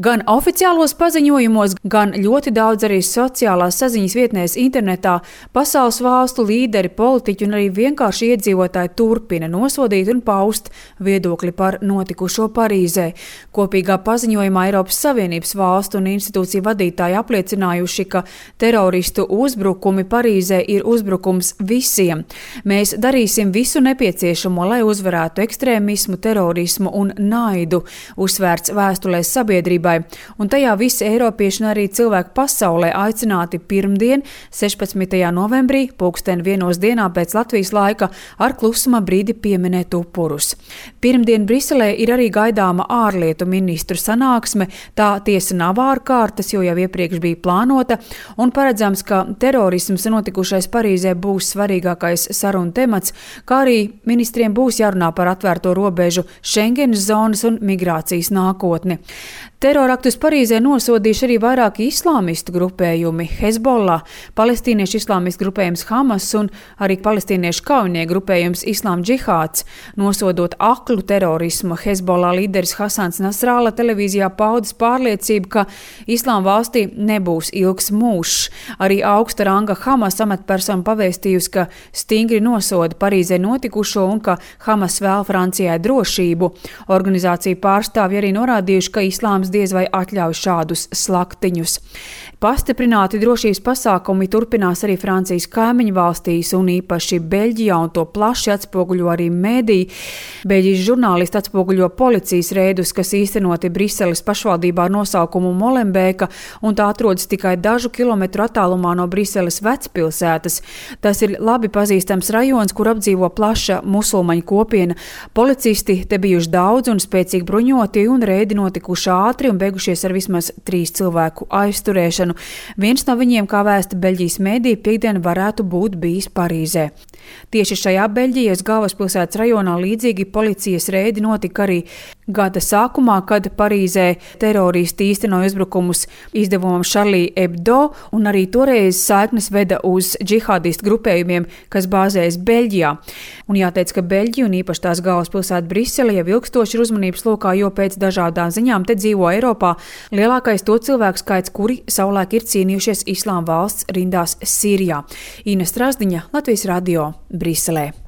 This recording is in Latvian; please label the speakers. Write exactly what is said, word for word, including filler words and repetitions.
Speaker 1: Gan oficiālos paziņojumos, gan ļoti daudz arī sociālās saziņas vietnēs internetā pasaules valstu līderi, politiķi un arī vienkārši iedzīvotāji turpina nosodīt un paust viedokļi par notikušo Parīzē. Kopīgā paziņojumā Eiropas Savienības valstu un institūciju vadītāji apliecinājuši, ka teroristu uzbrukumi Parīzē ir uzbrukums visiem. Mēs darīsim visu nepieciešamo, lai uzvarētu ekstrēmismu, terorismu un naidu, uzsvērts vēstulēs sabiedrībai. Un tajā visi eiropieši un arī cilvēki pasaulē aicināti pirmdien, sešpadsmitajā novembrī, pulksten vienos dienā pēc Latvijas laika, ar klusuma brīdi pieminēt upurus. Pirmdien Briselē ir arī gaidāma ārlietu ministru sanāksme, tā tiesa nav ārkārtas, jo jau iepriekš bija plānota, un paredzams, ka terorisms notikušais Parīzē būs svarīgākais sarunu temats, kā arī ministriem būs jārunā par atvērto robežu, Schengenas zonas un migrācijas nākotni. Teroraktus Parīzē nosodījuši arī vairāki islāmistu grupējumi – Hezbollah, palestīniešu islāmistu grupējums Hamas un arī palestīniešu kaujinieku grupējums Islāma džihāds. Nosodot aklu terorismu, Hezbollah līderis Hasans Nasralla televīzijā paudis pārliecību, ka Islāma valstī nebūs ilgs mūžs. Arī augsta ranga Hamas amatpersona pavēstījusi, ka stingri nosoda Parīzē notikušo un ka Hamas vēl Francijai drošību. Organizācija pārstāvji arī norādījuši, ka islāms diez vai atļauj šādus slaktiņus. Pastiprināti drošības pasākumi turpinās arī Francijas kaimiņu valstīs un īpaši Beļģijā, un to plaši atspoguļo arī mēdī. Beļģijas žurnālisti atspoguļo policijas reidus, kas īstenoti Briseles pašvaldībā ar nosaukumu Molenbeeka, un tā atrodas tikai dažu kilometru attālumā no Briseles vecpilsētas. Tas ir labi pazīstams rajons, kur apdzīvo plaša musulmaņu kopiena. Policisti te bijuši daudz un spēcīgi bruņoti, un reidi notikuši ātri un beigušies ar vismaz trīs cilvēku aizturēšanu. Viens no viņiem, kā vēsta Beļģijas mēdī, piekdien varētu būt bijis Parīzē. Tieši šajā Beļģijas galvaspilsētas rajonā līdzīgi policijas reidi notika arī gada sākumā, kad Parīzē teroristi īstenoja uzbrukumus izdevumam Charlie Hebdo, un arī toreiz saiknes veda uz džihādistu grupējumiem, kas bāzējas Beļģijā. Un jāteic, ka Beļģija un īpaši tās galvaspilsēta Brisele jau ilgstoši ir uzmanības lokā, jo pēc dažādām ziņām te dzīvo Eiropā lielākais to cilvēku skaits, kuri savulaik ir cīnījušies Islāma valsts rindās Sīrijā. Ines Strazdiņa, Latvijas radio, Briselē.